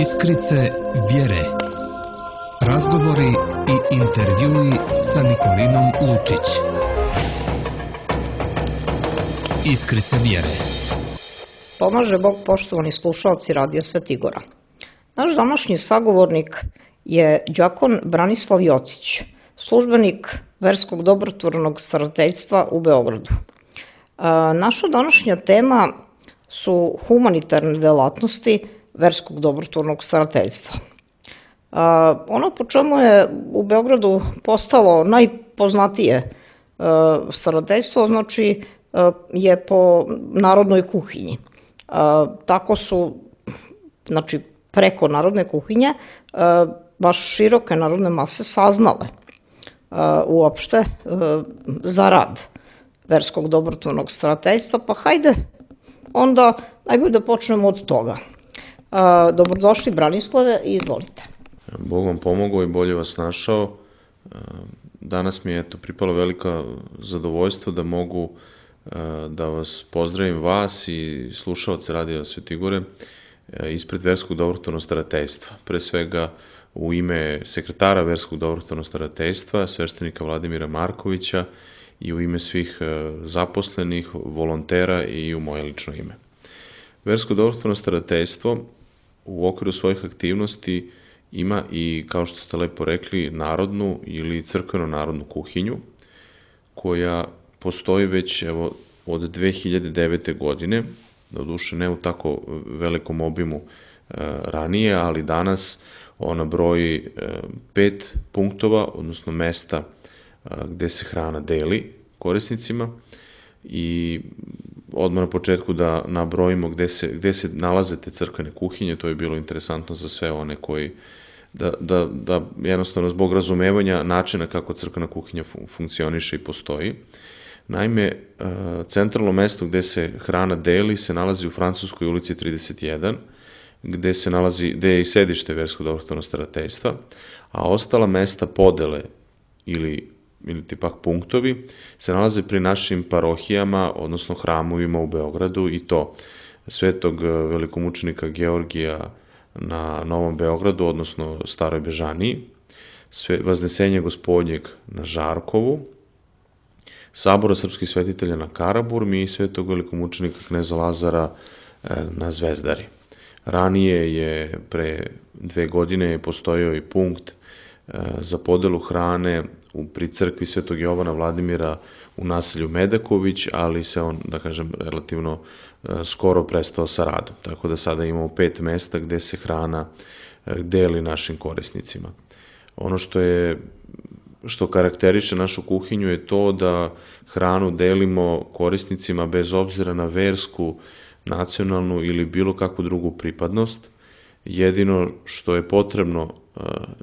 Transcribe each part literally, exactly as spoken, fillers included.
Iskrice vjere. Razgovori i intervjui sa Nikolinom Lučić. Iskrice vjere. Pomaže Bog, poštovani slušalci Radija Svetigora. Naš današnji sagovornik je đakon Branislav Jocić, službenik Verskog dobrotvornog starateljstva u Beogradu. Naša današnja tema su humanitarne delatnosti Verskog dobrotvornog starateljstva. Ono po čemu je u Beogradu postalo najpoznatije starateljstvo, znači je po narodnoj kuhinji. Tako su, znači preko narodne kuhinje, baš široke narodne mase saznale uopšte za rad Verskog dobrotvornog starateljstva, pa hajde onda najbolje da počnemo od toga. Dobrodošli Branislave i izvolite. Bog vam pomogao i bolje vas našao. Danas mi je eto pripalo veliko zadovoljstvo da mogu da vas pozdravim vas i slušaoce Radija Svetigore ispred Verskog dobrotvornog starateljstva. Pre svega u ime sekretara Verskog dobrotvornog starateljstva, sveštenika Vladimira Markovića, i u ime svih zaposlenih, volontera i u moje lično ime. Versko dobrotvorno starateljstvo u okviru svojih aktivnosti ima i, kao što ste lepo rekli, narodnu ili crkveno-narodnu kuhinju, koja postoji već evo, od dve hiljade devete. godine, doduše ne u tako velikom obimu e, ranije, ali danas ona broji e, pet punktova, odnosno mesta e, gde se hrana deli korisnicima. I odmah na početku da nabrojimo gde se, gde se nalaze te crkvene kuhinje. To je bilo interesantno za sve one koji da, da, da jednostavno zbog razumevanja načina kako crkvena kuhinja funkcioniše i postoji. Naime, centralno mesto gde se hrana deli se nalazi u Francuskoj ulici trideset jedan, gde se nalazi, gde je i sedište Verskog dobrotvornog starateljstva, a ostala mesta podele ili ili ti pak punktovi se nalaze pri našim parohijama, odnosno hramovima u Beogradu, i to Svetog velikomučenika Georgija na Novom Beogradu, odnosno Staroj Bežaniji, Vaznesenje Gospodnjeg na Žarkovu, Sabora srpskih svetitelja na Karaburmi i Svetog velikomučenika kneza Lazara na Zvezdari. Ranije je, pre dve godine, postojao i punkt za podelu hrane pri crkvi Svetog Jovana Vladimira u naselju Medaković, ali se on, da kažem, relativno skoro prestao sa radom. Tako da sada imamo pet mesta gde se hrana deli našim korisnicima. Ono što je što karakteriše našu kuhinju je to da hranu delimo korisnicima bez obzira na versku, nacionalnu ili bilo kakvu drugu pripadnost. Jedino što je potrebno,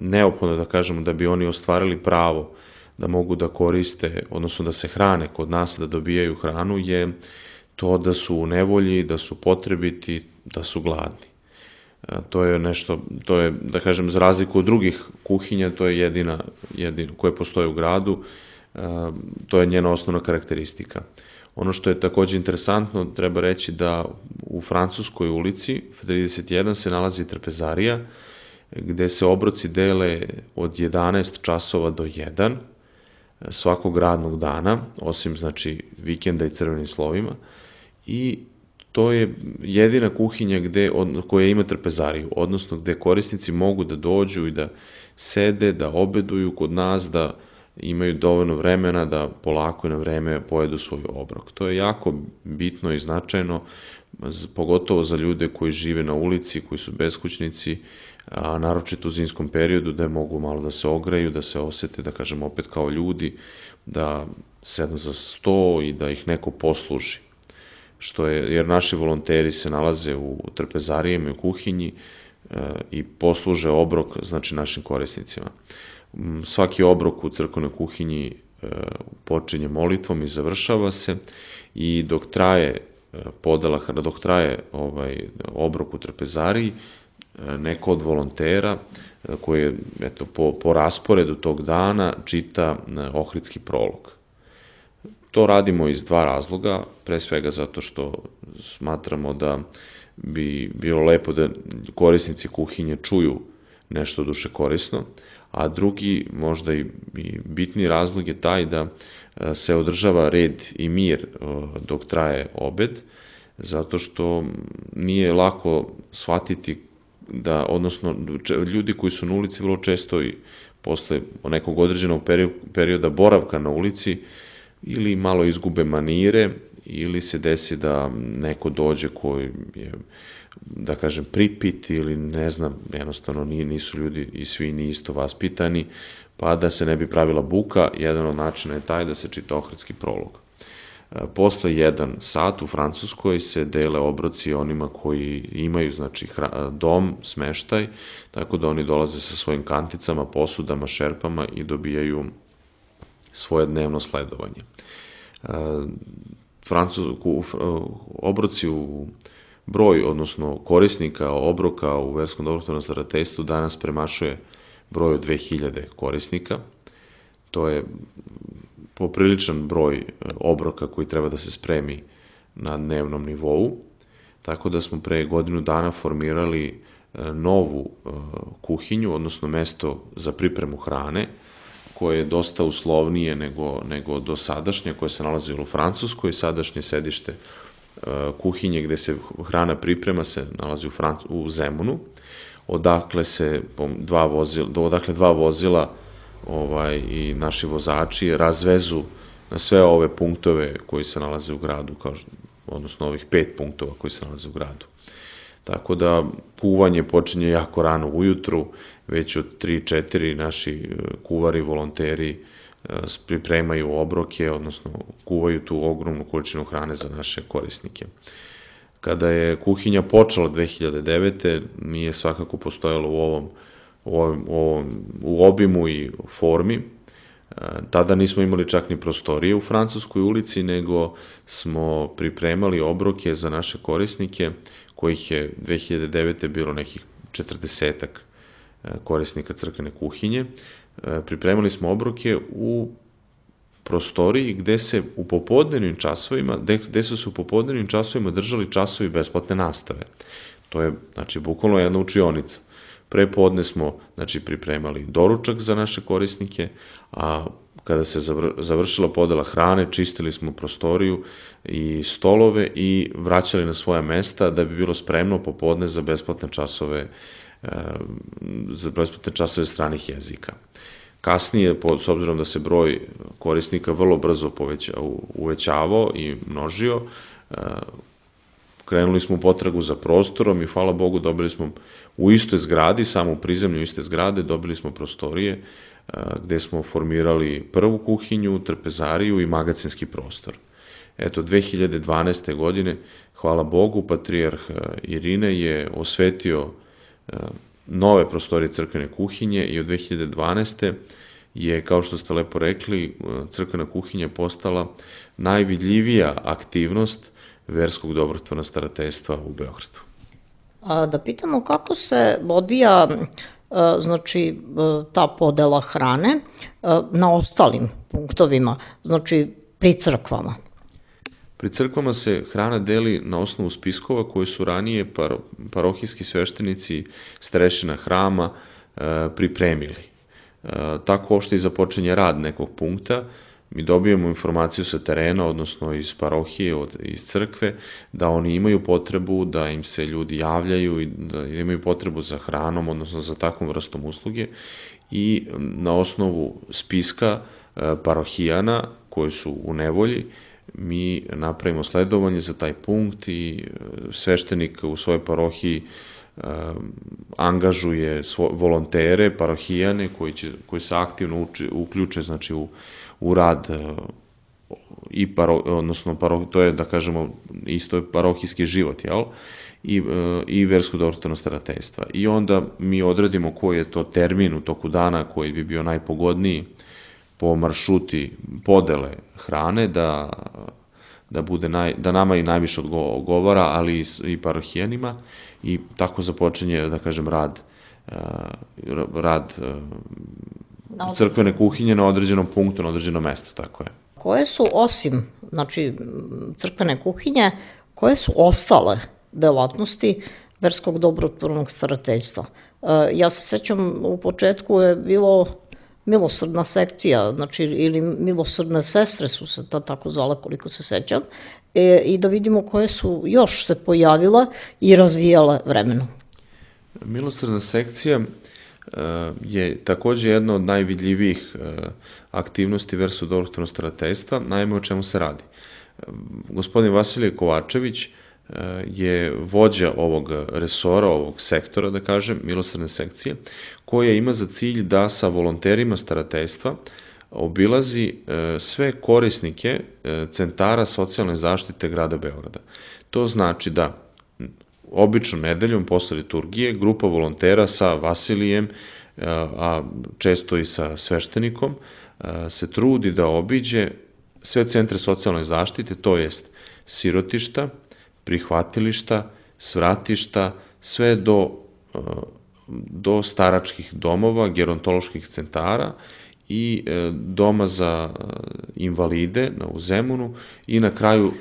neophodno da kažemo, da bi oni ostvarili pravo da mogu da koriste, odnosno da se hrane kod nas, da dobijaju hranu, je to da su u nevolji, da su potrebiti, da su gladni. To je nešto, to je, da kažem, za razliku od drugih kuhinja, to je jedina, jedina koja postoji u gradu, to je njena osnovna karakteristika. Ono što je takođe interesantno, treba reći da u Francuskoj ulici trideset jedan se nalazi trpezarija, gde se obroci dele od jedanaest časova do jedan svakog radnog dana, osim znači vikenda i crvenim slovima, i to je jedina kuhinja gde, koja ima trpezariju, odnosno gde korisnici mogu da dođu i da sede, da obeduju kod nas, da imaju dovoljno vremena da polako i na vreme pojedu svoj obrok. To je jako bitno i značajno, pogotovo za ljude koji žive na ulici, koji su beskućnici, a naročito u zimskom periodu, da mogu malo da se ogreju, da se osete, da kažem, opet kao ljudi, da sednu za sto i da ih neko posluži. Što je, jer naši volonteri se nalaze u trpezarijama i u kuhinji e, i posluže obrok, znači, našim korisnicima. Svaki obrok u crkvenoj kuhinji e, počinje molitvom i završava se, i dok traje podela, dok traje ovaj obrok u trpezariji, neko od volontera koji je, eto, po, po rasporedu tog dana čita ohridski prolog. To radimo iz dva razloga, pre svega zato što smatramo da bi bilo lepo da korisnici kuhinje čuju nešto duše korisno, a drugi, možda i bitni razlog je taj da se održava red i mir dok traje obed, zato što nije lako shvatiti da, odnosno, ljudi koji su na ulici vrlo često i posle nekog određenog perioda boravka na ulici ili malo izgube manire, ili se desi da neko dođe koji je, da kažem, pripit ili ne znam, jednostavno nisu ljudi i svi ni isto vaspitani, pa da se ne bi pravila buka, jedan od načina je taj da se čita ohridski prolog. Posle jedan sat u Francuskoj se dele obroci onima koji imaju, znači, dom, smeštaj, tako da oni dolaze sa svojim kanticama, posudama, šerpama i dobijaju svoje dnevno sledovanje. Obroci u broj, odnosno korisnika obroka u verskom dobrotvornom starateljstvu danas premašuje broj od dve hiljade korisnika. To je popriličan broj obroka koji treba da se spremi na dnevnom nivou, tako da smo pre godinu dana formirali novu kuhinju, odnosno mesto za pripremu hrane, koje je dosta uslovnije nego, nego do sadašnje, koje se nalazilo u Francuskoj. Sadašnje sedište kuhinje gde se hrana priprema se nalazi u, Franc u Zemunu, odakle se dva vozila, odakle dva vozila ovaj, i naši vozači razvezu na sve ove punktove koji se nalaze u gradu, kao, odnosno ovih pet punktova koji se nalaze u gradu. Tako da kuvanje počinje jako rano ujutru, već od tri četiri naši kuvari, volonteri pripremaju obroke, odnosno kuvaju tu ogromnu količinu hrane za naše korisnike. Kada je kuhinja počela dve hiljade devete. nije svakako postojalo u ovom, u ovom, u ovom u obimu i formi. Tada nismo imali čak ni prostorije u Francuskoj ulici, nego smo pripremali obroke za naše korisnike, kojih je dve hiljade devete. bilo nekih četrdesetak korisnika crkvene kuhinje. Pripremali smo obroke u prostoriji gde se u popodnevnim časovima, gde su se u popodnevnim časovima držali časovi besplatne nastave. To je, znači, bukvalno jedna učionica. Prepodne smo, znači, pripremali doručak za naše korisnike, a kada se završila podela hrane, čistili smo prostoriju i stolove i vraćali na svoja mesta da bi bilo spremno popodne za besplatne časove za besplatne časove stranih jezika. Kasnije, s obzirom da se broj korisnika vrlo brzo uvećavao i množio, krenuli smo u potragu za prostorom i hvala Bogu dobili smo u istoj zgradi, samo u prizemlju iste zgrade, dobili smo prostorije gde smo formirali prvu kuhinju, trpezariju i magacinski prostor. Eto, dve hiljade dvanaeste. godine, hvala Bogu, patrijarh Irine je osvetio nove prostorije crkvene kuhinje i od dve hiljade dvanaeste. je, kao što ste lepo rekli, crkvena kuhinja postala najvidljivija aktivnost verskog dobrotvornog starateljstva u Beogradu. A da pitamo kako se odvija, znači, ta podela hrane na ostalim punktovima, znači pri crkvama? Pri crkvama se hrana deli na osnovu spiskova koje su ranije parohijski sveštenici starešina hrama pripremili. Tako uopšte i započinje rad nekog punkta. Mi dobijemo informaciju sa terena, odnosno iz parohije, iz crkve, da oni imaju potrebu, da im se ljudi javljaju i da imaju potrebu za hranom, odnosno za takvom vrstom usluge, i na osnovu spiska parohijana koji su u nevolji mi napravimo sledovanje za taj punkt i sveštenik u svojoj parohiji angažuje volontere, parohijane koji, će, koji se aktivno uči, uključe, znači, u, u rad i paro, odnosno paro, to je, da kažemo, isto je parohijski život, jel? I, i versko dobrotvorno starateljstva. I onda mi odredimo koji je to termin u toku dana koji bi bio najpogodniji po maršruti podele hrane, da, da, bude naj, da nama i najviše odgovara, ali i, i parohijanima, i tako započinje, da kažem, rad, rad crkvene kuhinje na određenom punktu, na određenom mestu, tako je. koje su osim, znači, crkvene kuhinje, koje su ostale delatnosti verskog dobrotvornog starateljstva? Ja se sećam, u početku je bilo milosrdna sekcija, znači, ili milosrdne sestre su se ta tako zvala, koliko se sećam, e, i da vidimo koje su još se pojavile i razvijale vremenom. Milosrdna sekcija je takođe jedna od najvidljivijih aktivnosti verskog dobrotvornog starateljstva. Naime, o čemu se radi? Gospodin Vasilije Kovačević je vođa ovog resora, ovog sektora, da kažem, milosrdne sekcije, koja ima za cilj da sa volonterima starateljstva obilazi sve korisnike centara socijalne zaštite grada Beograda. To znači da obično nedeljom posle liturgije grupa volontera sa Vasilijem, a često i sa sveštenikom, se trudi da obiđe sve centre socijalne zaštite, to jest sirotišta, prihvatilišta, svratišta, sve do, do staračkih domova, gerontoloških centara i doma za invalide u Zemunu i na kraju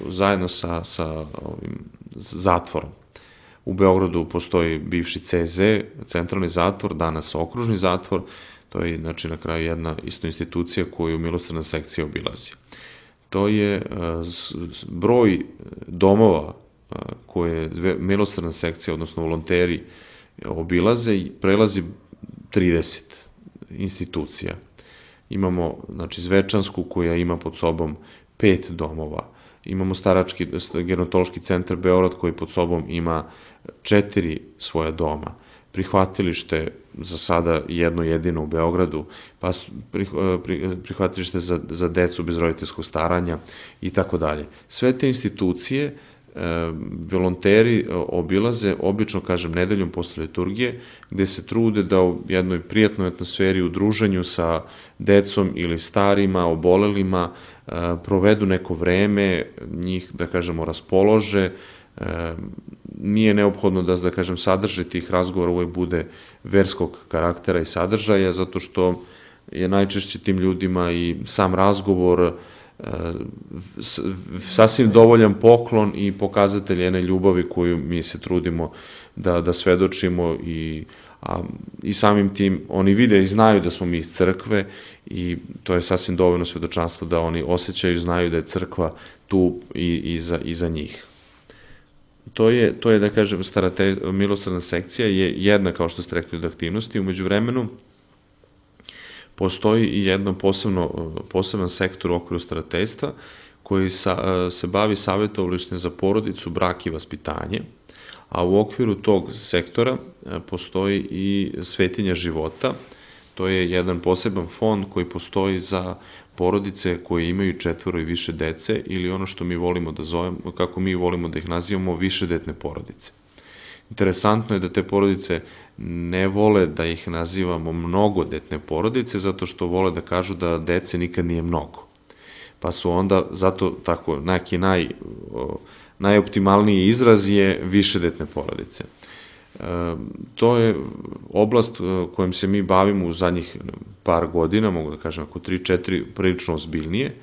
zajedno sa, sa ovim zatvorom. U Beogradu postoji bivši C Z, centralni zatvor, danas okružni zatvor, to je znači na kraju jedna isto institucija koju milosrdna sekcija obilazi. To je broj domova koje milosrdna sekcija, odnosno volonteri obilaze i prelazi trideset institucija. Imamo, znači, Zvečansku koja ima pod sobom pet domova. Imamo starački gerontološki centar Beograd koji pod sobom ima četiri svoja doma. Prihvatilište za sada jedno jedino u Beogradu, pa prihvatilište za, za decu bez roditeljskog staranja i tako dalje. Sve te institucije volonteri obilaze, obično, kažem, nedeljom posle liturgije, gde se trude da u jednoj prijatnoj atmosferi, u druženju sa decom ili starima, obolelima, provedu neko vreme, njih, da kažemo, raspolože. Nije neophodno da, da kažem, sadržaj tih razgovora uvek bude verskog karaktera i sadržaja, zato što je najčešće tim ljudima i sam razgovor sasvim dovoljan poklon i pokazatelj jedne ljubavi koju mi se trudimo da, da svedočimo i, a, i samim tim oni vide i znaju da smo mi iz crkve i to je sasvim dovoljno svedočanstvo da oni osjećaju i znaju da je crkva tu i, i, za, i za njih. To je, to je, da kažem, milosrdna sekcija je jedna, kao što ste rekli, od aktivnosti. Umeđu vremenu postoji i jedno posebno, poseban sektor u okviru starateljstva koji sa, se bavi savjetovalištem za porodicu, brak i vaspitanje, a u okviru tog sektora postoji i Svetinja života. To je jedan poseban fond koji postoji za porodice koje imaju četvoro i više dece ili ono što mi volimo da zovemo, kako mi volimo da ih nazivamo, višedetne porodice. Interesantno je da te porodice ne vole da ih nazivamo mnogodetne porodice, zato što vole da kažu da dece nikad nije mnogo. Pa su onda, zato tako, neki naj, najoptimalniji izraz je višedetne porodice. E, to je oblast kojom se mi bavimo u zadnjih par godina, mogu da kažem ako tri četiri, prilično ozbiljnije,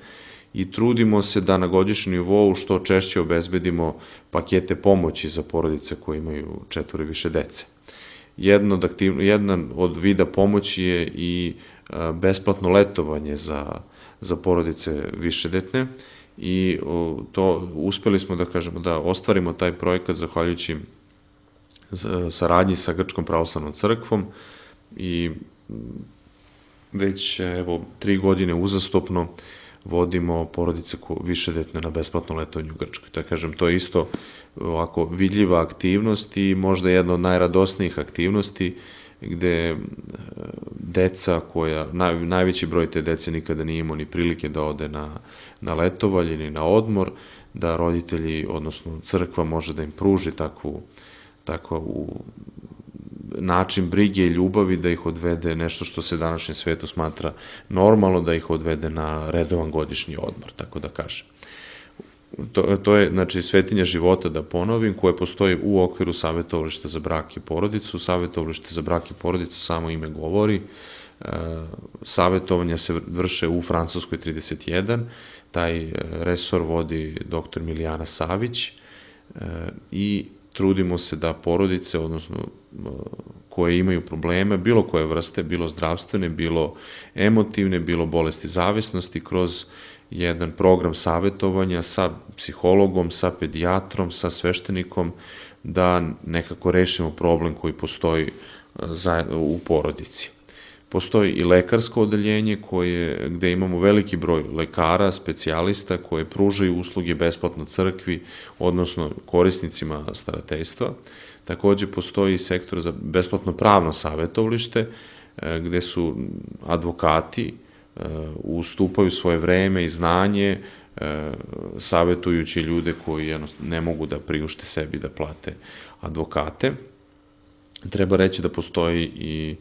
i trudimo se da na godišnjem nivou što češće obezbedimo pakete pomoći za porodice koje imaju četvoro i više dece. Jedno od aktivno, jedan od vida pomoći je i besplatno letovanje za, za porodice višedetne i to uspeli smo da kažemo da ostvarimo taj projekat zahvaljujući saradnji sa Grčkom pravoslavnom crkvom i već evo tri godine uzastopno vodimo porodice višedetne na besplatno letovanje u Grčkoj. Da kažem, to je isto ovako vidljiva aktivnost i možda jedna od najradosnijih aktivnosti gde deca koja, naj, najveći broj te dece nikada nije imao ni prilike da ode na, na letovanje ili na odmor, da roditelji, odnosno crkva može da im pruži takvu, takvu način brige i ljubavi da ih odvede nešto što se današnjem svetu smatra normalno, da ih odvede na redovan godišnji odmor, tako da kažem. To, to je, znači, Svetinja života, da ponovim, koje postoji u okviru savjetovališta za brak i porodicu. Savjetovalište za brak i porodicu samo ime govori. Savetovanja se vrše u Francuskoj trideset jedan, taj resor vodi doktor Milijana Savić i trudimo se da porodice, odnosno koje imaju probleme, bilo koje vrste, bilo zdravstvene, bilo emotivne, bilo bolesti zavisnosti, kroz jedan program savetovanja sa psihologom, sa pedijatrom, sa sveštenikom, da nekako rešimo problem koji postoji u porodici. Postoji i lekarsko odeljenje koje, gde imamo veliki broj lekara, specijalista koje pružaju usluge besplatno crkvi, odnosno korisnicima starateljstva. Takođe postoji i sektor za besplatno pravno savetovalište, gde su advokati ustupaju svoje vreme i znanje, savetujući ljude koji ne mogu da priušte sebi da plate advokate. Treba reći da postoji i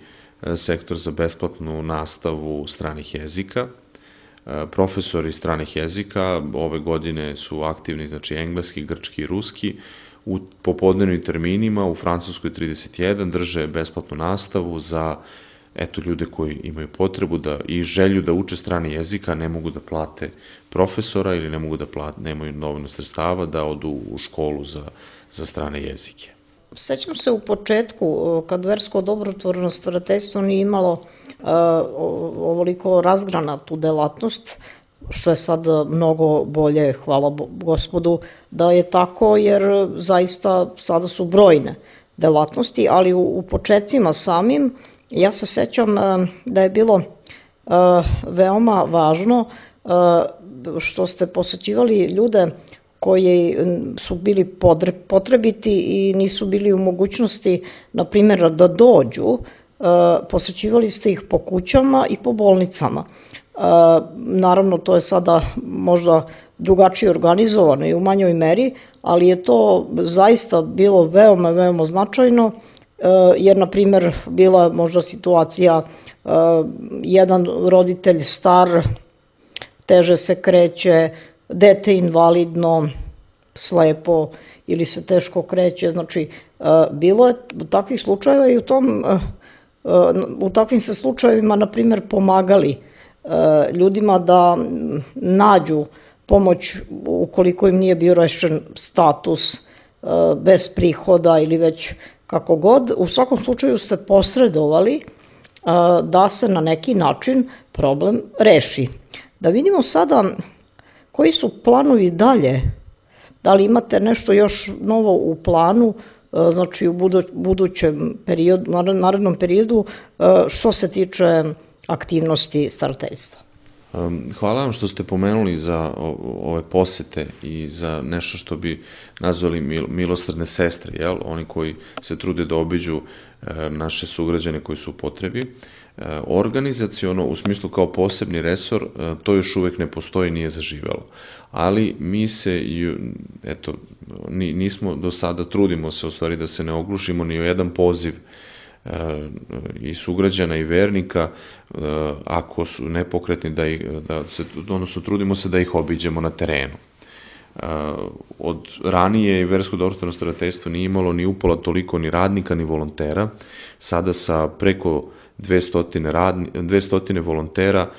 sektor za besplatnu nastavu stranih jezika. Profesori stranih jezika ove godine su aktivni, znači engleski, grčki i ruski. U popodnevnim terminima u Francuskoj trideset jedan drže besplatnu nastavu za eto ljude koji imaju potrebu da i želju da uče strani jezik, a ne mogu da plate profesora ili ne mogu da plate, nemaju dovoljno sredstava da odu u školu za, za strane jezike. Sećam se u početku, kad versko dobrotvorno starateljstvo nije imalo uh, ovoliko razgranatu delatnost, što je sad mnogo bolje, hvala Gospodu da je tako, jer zaista sada su brojne delatnosti, ali u, u početcima samim ja se sećam uh, da je bilo uh, veoma važno uh, što ste posećivali ljude koji su bili potrebiti i nisu bili u mogućnosti, na primjer, da dođu, posećivali ste ih po kućama i po bolnicama. Naravno, to je sada možda drugačije organizovano i u manjoj meri, ali je to zaista bilo veoma, veoma značajno, jer, na primjer, bila možda situacija, jedan roditelj star, teže se kreće, dete invalidno, slepo ili se teško kreće, znači bilo je takvih slučajeva i u, tom, u takvim se slučajevima, na primjer, pomagali ljudima da nađu pomoć ukoliko im nije bio rešen status bez prihoda ili već kako god. U svakom slučaju ste posredovali da se na neki način problem reši. Da vidimo sada koji su planovi dalje? Da li imate nešto još novo u planu, znači u budućem periodu, narednom periodu, što se tiče aktivnosti starateljstva? Hvala vam što ste pomenuli za ove posete i za nešto što bi nazvali milosrdne sestre, jel? Oni koji se trude da obiđu naše sugrađane koji su u potrebi. Organizaciono, u smislu kao posebni resor, to još uvek ne postoji, nije zaživelo. Ali mi se, eto, nismo do sada, trudimo se u stvari da se ne oglušimo ni o jedan poziv i sugrađana i vernika, ako su nepokretni, da, ih, da se, odnosno trudimo se da ih obiđemo na terenu. Od ranije i versko dobrotvorno starateljstvo nije imalo ni upola toliko ni radnika ni volontera. Sada sa preko dvesta volontera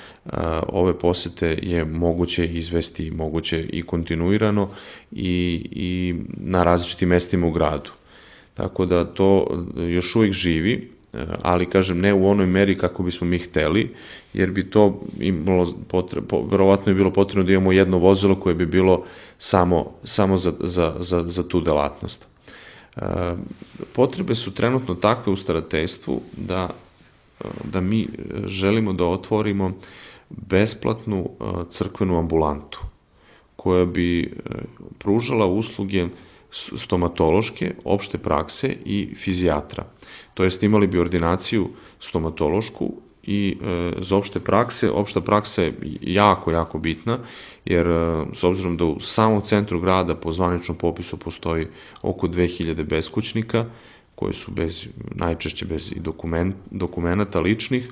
ove posete je moguće izvesti, moguće i kontinuirano i, i na različitim mestima u gradu. Tako da to još uvijek živi, ali kažem ne u onoj meri kako bismo mi hteli, jer bi to imalo potrebno, verovatno je bilo potrebno da imamo jedno vozilo koje bi bilo samo, samo za, za, za, za tu delatnost. Potrebe su trenutno takve u starateljstvu da, da mi želimo da otvorimo besplatnu crkvenu ambulantu koja bi pružala usluge stomatološke, opšte prakse i fizijatra. To jest imali bi ordinaciju stomatološku i e, za opšte prakse, opšta praksa je jako, jako bitna, jer e, s obzirom da u samom centru grada po zvaničnom popisu postoji oko dve hiljade beskućnika, koji su bez, najčešće bez i dokument, dokumenata ličnih,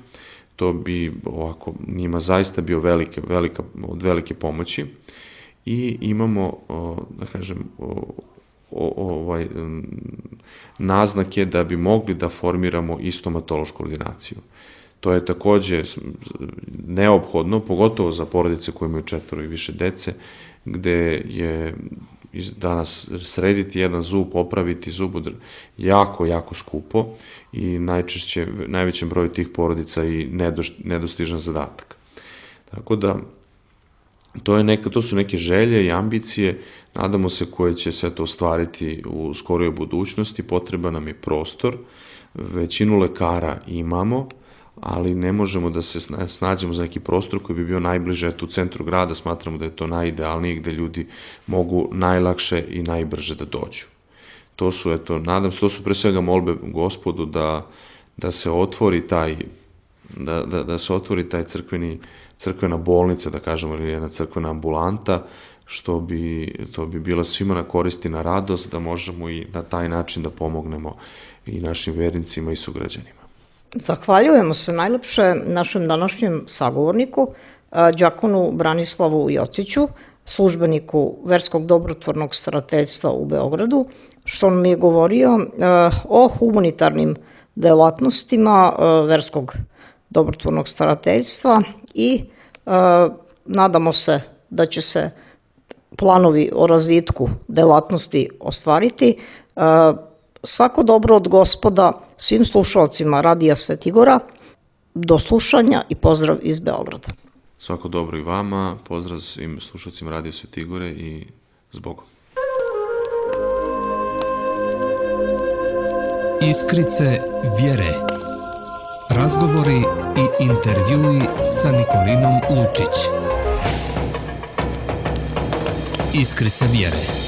to bi ovako njima zaista bio velike, velika, od velike pomoći. I imamo, da kažem, ovaj, naznake da bi mogli da formiramo i stomatološku ordinaciju. To je takođe neophodno, pogotovo za porodice koje imaju četvoro i više dece, gde je danas srediti jedan zub, popraviti zub jako, jako skupo i najčešće, najvećem broju tih porodica i nedostižan zadatak. Tako da, to, je neka, to su neke želje i ambicije, nadamo se koje će se to ostvariti u skorijoj budućnosti, potreba nam je prostor, većinu lekara imamo, ali ne možemo da se snađemo za neki prostor koji bi bio najbliže, eto u centru grada smatramo da je to najidealnije, gde ljudi mogu najlakše i najbrže da dođu. To su, eto, nadam se, to su pre svega molbe Gospodu da, da se otvori taj, da, da, da se otvori taj crkveni, crkvena bolnica, da kažemo, ili jedna crkvena ambulanta, što bi, to bi bila svima na koristi, na radost, da možemo i na taj način da pomognemo i našim vernicima i sugrađanima. Zahvaljujemo se najlepše našem današnjem sagovorniku, đakonu Branislavu Jociću, službeniku Verskog dobrotvornog starateljstva u Beogradu, što nam je govorio o humanitarnim delatnostima Verskog dobrotvornog starateljstva i nadamo se da će se planovi o razvitku delatnosti ostvariti. Svako dobro od Gospoda svim slušalcima Radija Svetigora, do slušanja i pozdrav iz Beograda. Svako dobro i vama, pozdrav svim slušalcima Radija Svetigore i s Bogom. Iskrice vjere. Razgovori i intervjui sa Nikolinom Lučić. Iskrice vjere.